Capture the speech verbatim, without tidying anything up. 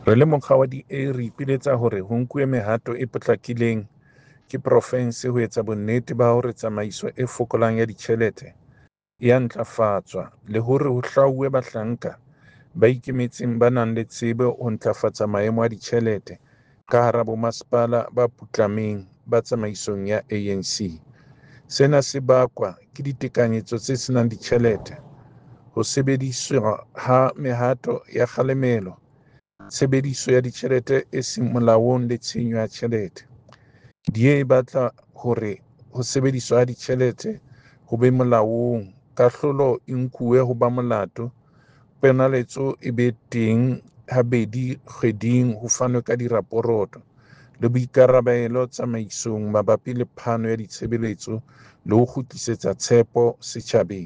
Re le mokga wa D A re ipiletsa hore ho nkuwe mehato e potlakileng ke profense ho etsa bonnete ba hore tsamaiso e fokolang ya ditjhelete e a ntlafatswa le hore ho hlwauwe bahlanka ba ikemetseng ba nang le tsebo ho ntlafatsa maemo a ditjhelete ka hara bomasepala ba putlameng ba tsamaisong ya A N C. Sena se bakwa ke ditekanyetso tse senang ditjhelete, ho sebediswa ha mehato ya kgalemelo, tshebediso ya ditjhelete e seng molaong le tshenyo ya tjhelete. D A e batla hore ho sebediswa ha ditjhelete ho be molaong, kahlolo e nkuwe ho ba molato, ponaletso e be teng habedi kgweding ho fanwe ka diraporoto, le boikarabelo tsamaisong mabapi le phano ya ditshebeletso le ho kgutlisetsa tshepo setjhabeng.